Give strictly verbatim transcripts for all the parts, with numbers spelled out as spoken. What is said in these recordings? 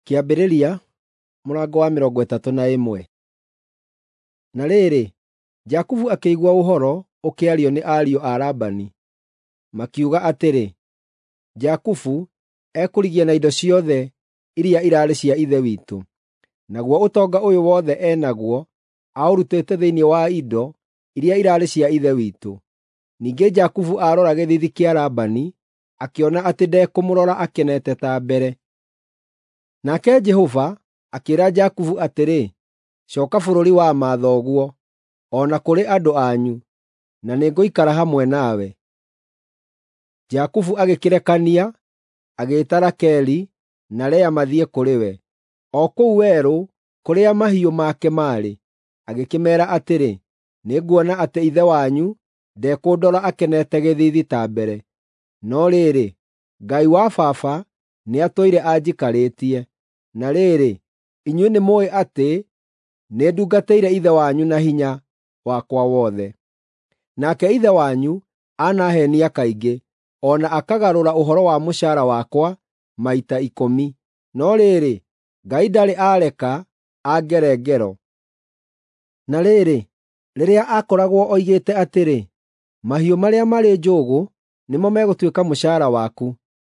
Kĩambĩrĩria mũrango wa mĩrongo ĩtatũ na ĩmwe. Na rĩrĩ, Jakubu akĩigua ũhoro ũkĩario nĩ ariũ a Labani, makiuga atĩrĩ, “Jakubu ekũrigia na indo ciothe iria iraarĩ cia ithe witũ, naguo ũtonga ũyũ wothe e naguo aũrutĩte thĩinĩ wa indo iria iraarĩ cia ithe witũ.” Ningĩ Jakubu aarora gĩthiithi kĩa Labani, akĩona atĩ ndekũmũrora akenete ta mbere. Nake Jehova akĩĩra Jakubu atĩrĩ, “Cooka bũrũri wa mathoguo, o na kũrĩ andũ anyu, na nĩngũikara hamwe nawe.” Jakubu agĩkĩrekania, agĩĩta Rakeli na Lea mathiĩ kũrĩ we, o kũu werũ kũrĩa mahiũ make maarĩ. Agĩkĩmeera atĩrĩ, “Nĩnguona atĩ ithe wanyu ndekũndora akenete gĩthiithi ta mbere. No rĩrĩ, Ngai wa baba nĩatũire anjikarĩtie. Na rĩrĩ, inyuĩ nĩmũũĩ atĩ nĩndungatĩire ithe wanyu na hinya wakwa wothe. Nake ithe wanyu anaheenia kaingĩ, o na akagarũra ũhoro wa mũcaara wakwa maita ikũmi. No rĩrĩ, Ngai ndarĩ aareka angere ngero. Na rĩrĩ, rĩrĩa aakoragwo oigĩte atĩrĩ, ‘Mahiũ marĩa marĩ njũgũ nĩmo megũtuĩka mũcaara waku,’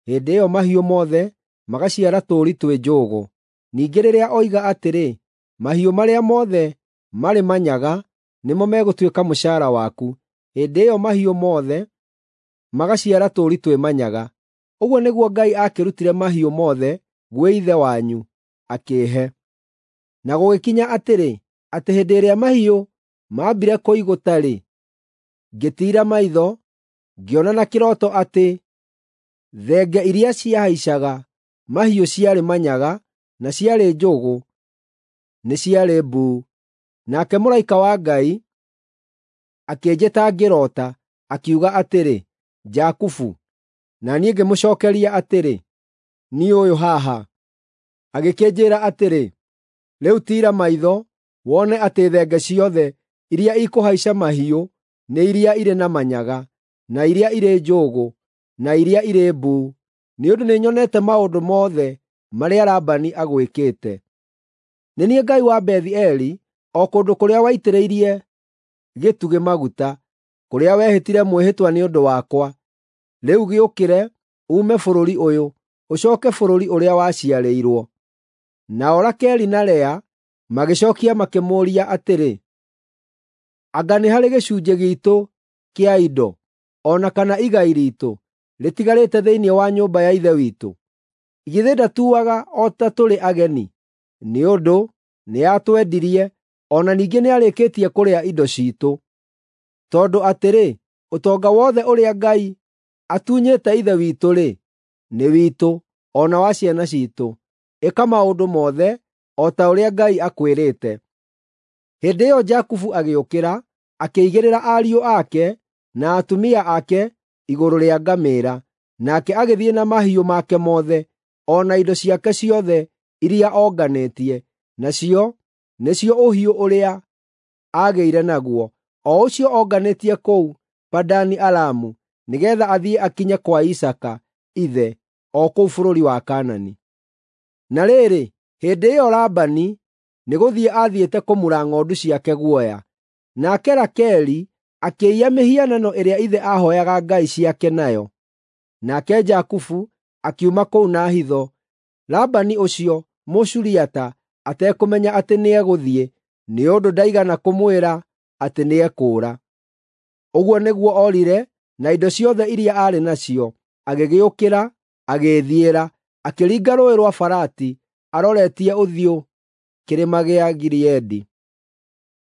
hĩndĩ ĩyo mahiũ mothe magaciara tũũri twĩ njũgũ. Ningĩ rĩrĩa oiga atĩrĩ, ‘Mahiũ marĩa mothe marĩ manyaga nĩmo megũtuĩka mũcaara waku,’ hĩndĩ ĩyo mahiũ mothe magaciara tũũri twĩ manyaga. Ũguo nĩguo Ngai aakĩrutire mahiũ mothe gwĩ ithe wanyu, akĩĩhe. Na gũgĩkinya atĩrĩ, atĩ hĩndĩ ĩrĩa mahiũ maambire kũigũta-rĩ, ngĩtiira maitho, ngĩona na kĩroto atĩ thenge iria ciahaicaga mahiũ ciarĩ manyaga na ciarĩ njũgũ nĩ ciarĩ mbuu. Nake mũraika wa Ngai akĩnjĩta ngĩroota, akiuga atĩrĩ, ‘Jakubu.’ Na niĩ ngĩmũcookeria atĩrĩ, ‘Niĩ ũyũ haha.’ Agĩkĩnjĩĩra atĩrĩ, ‘Rĩu tiira maitho wone atĩ thenge ciothe iria ikũhaica mahiũ nĩ iria irĩ na manyaga, na iria irĩ njũgũ, na iria irĩ mbuu, nĩ ũndũ nĩnyonete maũndũ mothe marĩa Labani agwĩkĩte. Nĩ niĩ Ngai wa Bethi-Eli, o kũndũ kũrĩa waitĩrĩirie gĩtugĩ maguta, kũrĩa wehĩtire mwĩhĩtwa nĩ ũndũ wakwa. Rĩu gĩũkĩre, uume bũrũri ũyũ, ũcooke bũrũri ũrĩa waciarĩirwo.” Nao Rakeli na Lea magĩcookia makĩmũũria atĩrĩ, “Anga nĩ harĩ gĩcunjĩ giitũ kĩa indo, o na kana igai riitũ, rĩtigarĩte thĩinĩ wa nyũmba ya ithe witũ? Githĩ ndatuaga o ta tũrĩ ageni? Nĩ ũndũ nĩatwendirie, o na ningĩ nĩarĩkĩtie kũrĩa indo ciitũ. Tondũ atĩrĩ, ũtonga wothe ũrĩa Ngai atunyĩte ithe witũ-rĩ, nĩ witũ, o na wa ciana ciitũ. Ĩka maũndũ mothe o ta ũrĩa Ngai akwĩrĩte.” Hĩndĩ ĩyo Jakubu agĩũkĩra, akĩigĩrĩra ariũ ake na atumia ake igũrũ rĩa ngamĩĩra, nake agĩthiĩ na mahiũ make mothe, o na indo ciake ciothe iria onganĩtie, nacio nĩcio ũhiũ ũrĩa aagĩire naguo, o ũcio onganĩtie kũu Padani-Aramu, nĩgeetha athiĩ akinye kwa Isaaka ithe, o kũu bũrũri wa Kaanani. Na rĩrĩ, hĩndĩ ĩyo Labani nĩgũthiĩ aathiĩte kũmura ng'ondu ciake guoya. Nake Rakeli akĩiya mĩhianano ĩrĩa ithe aahooyaga ngai ciake nayo. Nake Jakubu akiuma kũu na hitho, Labani ũcio Mũsuriata atekũmenya atĩ nĩegũthiĩ, nĩ ũndũ ndaigana kũmwĩra atĩ nĩekũũra. Ũguo nĩguo oorire na indo ciothe iria aarĩ nacio, agĩgĩũkĩra, agĩĩthiĩra, akĩringa Rũũĩ rwa Farati aroretie ũthiũ kĩrĩma gĩa Gileadi.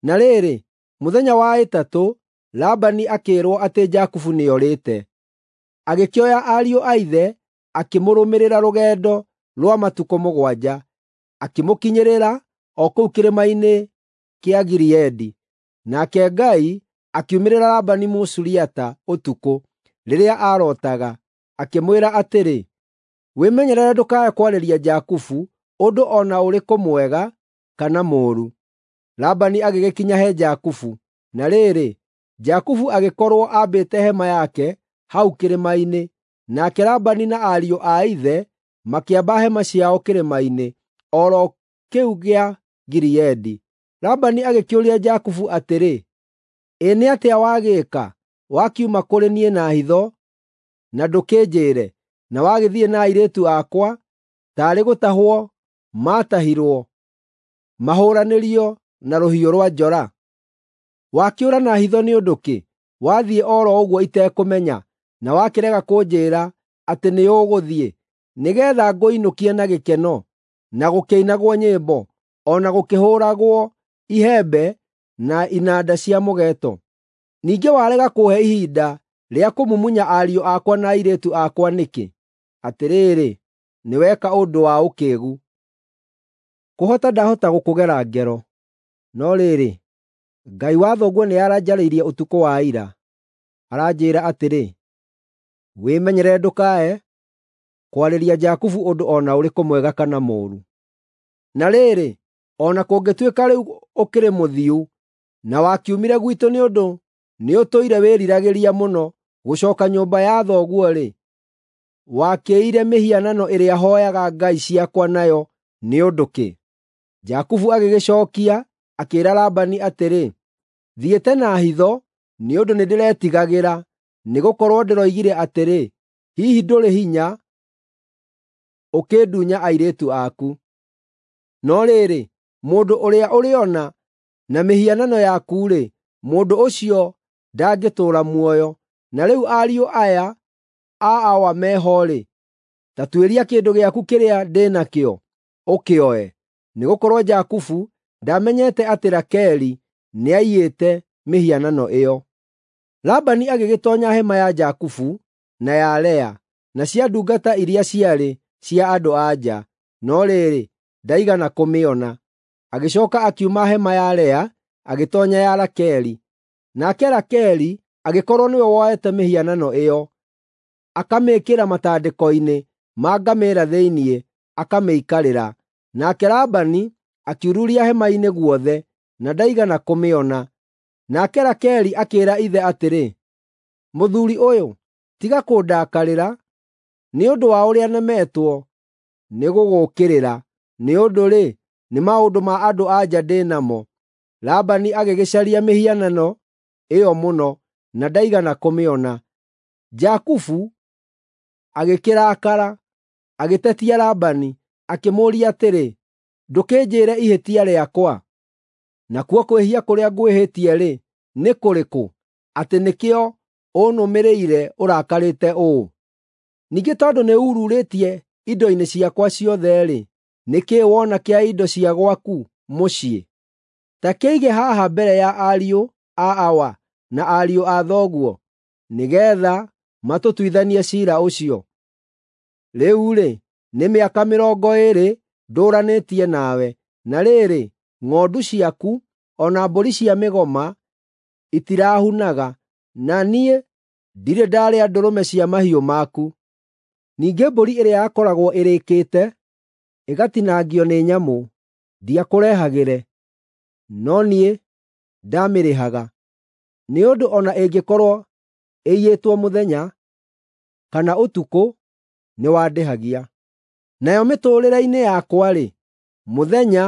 Na rĩrĩ, mũthenya wa ĩtatũ Labani akĩĩrwo atĩ Jakubu nĩorĩte. Agĩkĩoya ariũ a ithe akĩmũrũmĩrĩra rũgendo rwa matukũ mũgwanja, akĩmũkinyĩrĩra o kũu kĩrĩma-inĩ kĩa Gileadi. Nake Ngai akiumĩrĩra Labani Mũsuriata ũtukũ, rĩrĩa aarootaga, akĩmwĩra atĩrĩ, “Wĩmenyerere ndũkae kwarĩria Jakubu ũndũ o na ũrĩkũ mwega kana mũũru.” Labani agĩgĩkinya he Jakubu. Na rĩrĩ, Jakubu agĩkorwo aambĩte hema yake hau kĩrĩma-inĩ, nake Labani na ariũ a ithe makĩamba hema ciao kĩrĩma-inĩ. o ro kĩu gĩa Gileadi. Labani agĩkĩũria Jakubu atĩrĩ, “Ĩ nĩ atĩa wagĩĩka, wakiuma kũrĩ niĩ na hitho na ndũkĩnjĩĩre, na wagĩthiĩ na airĩtu akwa taarĩ gũtahwo maatahirwo mahũũranĩrio na rũhiũ rwa njora? Wakĩũra na hitho nĩ ũndũ kĩ, wathiĩ o ro ũguo itekũmenya, na wakĩrega kũnjĩĩra atĩ nĩũgũthiĩ, nĩgeetha ngũinũkie na gĩkeno, na gũkĩinagwo nyĩmbo, o na gũkĩhũũragwo ihembe na inanda cia mũgeeto? Ningĩ warega kũũhe ihinda rĩa kũmumunya ariũ akwa na airĩtu akwa nĩkĩ? Atĩrĩrĩ, nĩweka ũndũ wa ũkĩĩgu. Kũhota ndahota gũkũgera ngero, no rĩrĩ, Ngai wa thoguo nĩaranjarĩirie ũtukũ wa ira, aranjĩĩra atĩrĩ, ‘Wĩmenyerere ndũkae kwarĩria Jakubu ũndũ o na ũrĩkũ mwega kana mũũru.’ Na rĩrĩ, o na kũngĩtuĩka rĩu ũkĩrĩ mũthiu, na wakiumire gwitũ nĩ ũndũ nĩũtũire wĩriragĩria mũno gũcooka nyũmba ya thoguo-rĩ, wakĩĩire mĩhianano ĩrĩa hooyaga ngai ciakwa nayo nĩ ũndũ kĩ?” Jakubu agĩgĩcookia, akĩĩra Labani atĩrĩ, “Thiĩte na hitho nĩ ũndũ nĩndĩretigagĩra, nĩgũkorwo ndĩroigire atĩrĩ, ‘Hihi ndũrĩ hinya ũkĩndunya airĩtu aku.’ No rĩrĩ, mũndũ ũrĩa ũrĩona na mĩhianano yaku-rĩ, mũndũ ũcio ndangĩtũũra muoyo. Na rĩu ariũ aya a awa meho-rĩ, ta tuĩria kĩndũ gĩaku kĩrĩa ndĩ nakĩo, ũkĩoe.” Nĩgũkorwo Jakubu ndaamenyete atĩ Rakeli nĩaiyĩte mĩhianano ĩyo. Labani agĩgĩtoonya hema ya Jakubu na ya Lea, na cia ndungata iria ciarĩ cia andũ-a-nja, no rĩrĩ, ndaigana kũmĩona. Agĩcooka akiuma hema ya Lea agĩtoonya ya Rakeli. Nake Rakeli agĩkorwo nĩwe woete mĩhianano ĩyo, akamĩĩkĩra matandĩko-inĩ ma ngamĩĩra thĩinĩ, akamĩikarĩra. Nake Labani akiururia hema-inĩ guothe, na ndaigana kũmĩona. Nake Rakeli akĩĩra ithe atĩrĩ, “Mũthuuri ũyũ, tiga kũndakarĩra nĩ ũndũ wa ũrĩa nemetwo nĩgũgũũkĩrĩra, nĩ ũndũ-rĩ, nĩ maũndũ ma andũ-a-nja ndĩ namo.” Labani agĩgĩcaria mĩhianano ĩyo mũno, na ndaigana kũmĩona. Jakubu agĩkĩrakara, agĩtetia Labani, akĩmũũria atĩrĩ, “Ndũkĩnjĩĩre ihĩtia rĩakwa? Nakuo kwĩhia kũrĩa ngwĩhĩtie-rĩ, nĩ kũrĩkũ, atĩ nĩkĩo ũnũmĩrĩire ũrakarĩte ũũ? Ningĩ tondũ nĩururĩtie indo-inĩ ciakwa ciothe-rĩ, nĩ kĩĩ wona kĩa indo cia gwaku mũciĩ? Ta kĩige haha mbere ya ariũ a awa na ariũ a thoguo, nĩgeetha matũtuithanie ciira ũcio. Rĩu-rĩ, nĩ mĩaka mĩrongo ĩĩrĩ ndũũranĩtie nawe, na rĩrĩ, ng'ondu ciaku o na mbũri cia mĩgoma itirahunaga, na niĩ ndirĩ ndarĩa ndũrũme cia mahiũ maku. Ningĩ mbũri ĩrĩa yakoragwo ĩrĩkĩte ĩgatinangio nĩ nyamũ, ndiakũrehagĩre, no niĩ ndaamĩrĩhaga, nĩ ũndũ o na ĩngĩkorwo ĩiyĩtwo mũthenya kana ũtukũ, nĩwandĩhagia. Nayo mĩtũũrĩre-inĩ yakwa-rĩ, mũthenya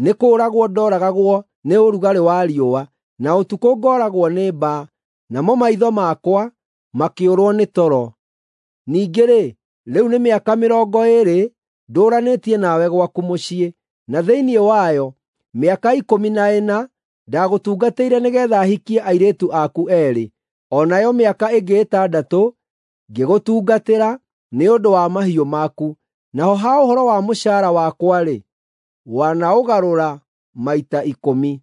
nĩ kũũragwo ndooragagwo nĩ ũrugarĩ wa riũa, na ũtukũ ngooragwo nĩ mbaa, namo maitho makwa makĩũrwo nĩ toro. Ningĩ-rĩ, rĩu nĩ mĩaka mĩrongo ĩĩrĩ ndũũranĩtie nawe gwaku mũciĩ, na thĩinĩ wayo mĩaka ikũmi na ĩna ndagũtungatĩire nĩgeetha hikie airĩtu aku eerĩ, o nayo mĩaka ĩngĩ ĩtandatũ ngĩgũtungatĩra nĩ ũndũ wa mahiũ maku. Naho ha ũhoro wa mũcaara wakwa-rĩ, wanaũgarũra maita ikũmi.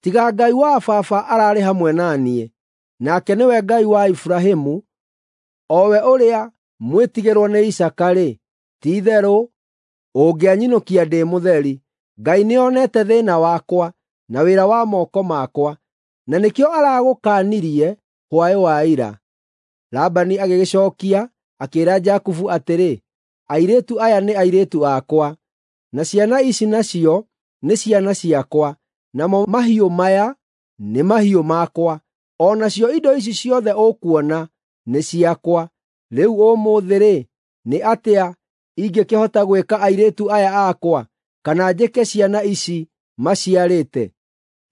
Tiga Ngai wa baba ararĩ hamwe na niĩ, nake nĩwe Ngai wa Iburahĩmu, o we ũrĩa mwĩtigĩrwo nĩ Isaaka-rĩ, ti-itherũ ũngĩanyinũkia ndĩ mũtheri. Ngai nĩonete thĩĩna wakwa na wĩra wa moko makwa, na nĩkĩo aragũkaanirie hwaĩ wa ira.” Labani agĩgĩcookia, akĩĩra Jakubu atĩrĩ, “Airĩtu aya nĩ airĩtu akwa, na ciana ici nacio nĩ ciana ciakwa, namo mahiũ maya nĩ mahiũ makwa, o nacio indo ici ciothe ũkuona nĩ ciakwa. Rĩu ũmũthĩ-rĩ, nĩ atĩa ingĩkĩhota gwĩka airĩtu aya akwa, kana njĩke ciana ici maciarĩte?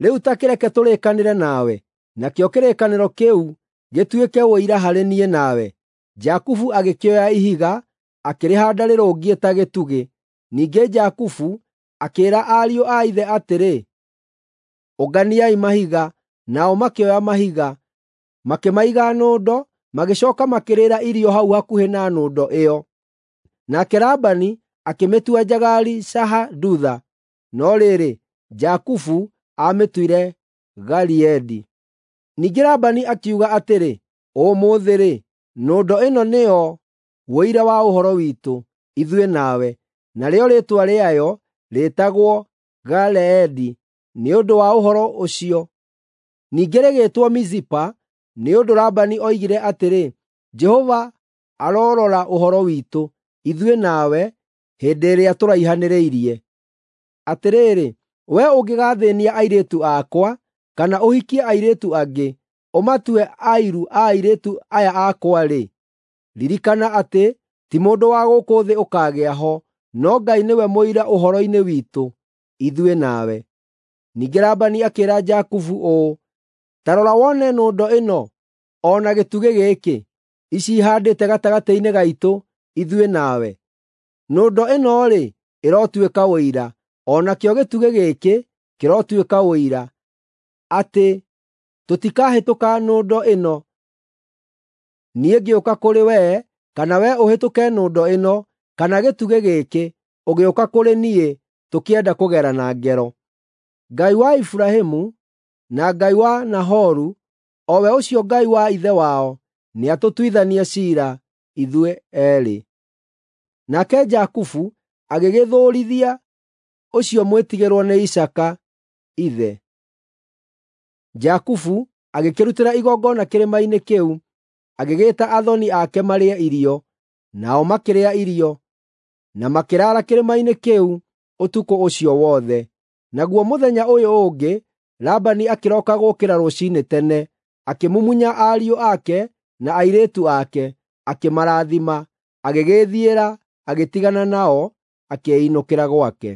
Rĩu ta kĩreke tũrĩkanĩre nawe, nakĩo kĩrĩkanĩro kĩu gĩtuĩke ũira harĩ niĩ nawe." Jakubu agĩkĩoya ihiga, akĩrĩhaanda rĩrũngiĩ ta gĩtugĩ. Ningĩ Jakubu akĩĩra ariũ a ithe atĩrĩ, "Ũnganiai mahiga." Nao makĩoya mahiga, makĩmaiga nũndo, magĩcooka makĩrĩĩra irio hau hakuhĩ na nũndo ĩyo. Nake Labani akĩmĩtua Jagari-Sahadutha, no rĩrĩ, Jakubu aamĩtuire Galeedi. Ningĩ Labani akiuga atĩrĩ, "Ũmũthĩ-rĩ, nũndo ĩno nĩyo ũira wa ũhoro witũ, ithuĩ nawe." Narĩo rĩĩtwa rĩayo rĩĩtagwo Galeedi nĩ ũndũ wa ũhoro ũcio. Ningĩ rĩgĩĩtwo Mizipa nĩ ũndũ Labani oigire atĩrĩ, “Jehova arorora ũhoro witũ, ithuĩ nawe, hĩndĩ ĩrĩa tũraihanĩrĩirie. Atĩrĩrĩ, wee ũngĩgaathĩĩnia airĩtu akwa, kana ũhikie airĩtu angĩ, ũmatue airu a airĩtu aya akwa-rĩ, ririkana atĩ ti mũndũ wa gũkũ thĩ ũkaagĩa ho, no Ngai nĩwe mũira ũhoro-inĩ witũ, ithuĩ nawe." Ningĩ Labani akĩĩra Jakubu ũũ, “Ta rora wone nũndo ĩno, o na gĩtugĩ gĩkĩ, ici ihaandĩte gatagatĩ-inĩ gaitũ, ithuĩ nawe. Nũndo ĩno-rĩ, ĩrotuĩka ũira, o nakĩo gĩtugĩ gĩkĩ kĩrotuĩka ũira, atĩ tũtikahĩtũka nũndo ĩno, niĩ ngĩũka kũrĩ wee, kana wee ũhĩtũke nũndo ĩno, kana gĩtugĩ gĩkĩ, ũgĩũka kũrĩ niĩ tũkĩenda kũgerana ngero. Ngai wa Iburahĩmu na Ngai wa Nahoru, o we ũcio Ngai wa ithe wao, nĩatũtuithanie ciira ithuĩ eerĩ." Nake Jakubu agĩgĩthũũrithia ũcio mwĩtigĩrwo nĩ Isaaka ithe. Jakubu agĩkĩrutĩra igongona kĩrĩma-inĩ kĩu, agĩgĩĩta athoni ake marĩe irio, nao makĩrĩa irio, na makĩraara kĩrĩma-inĩ kĩu ũtukũ ũcio wothe. Naguo mũthenya ũyũ ũngĩ Labani akĩroka gũũkĩra rũciinĩ tene, akĩmumunya ariũ ake na airĩtu ake, akĩmarathima, agĩgĩĩthiĩra, agĩtigana nao, akĩĩinũkĩra gwake.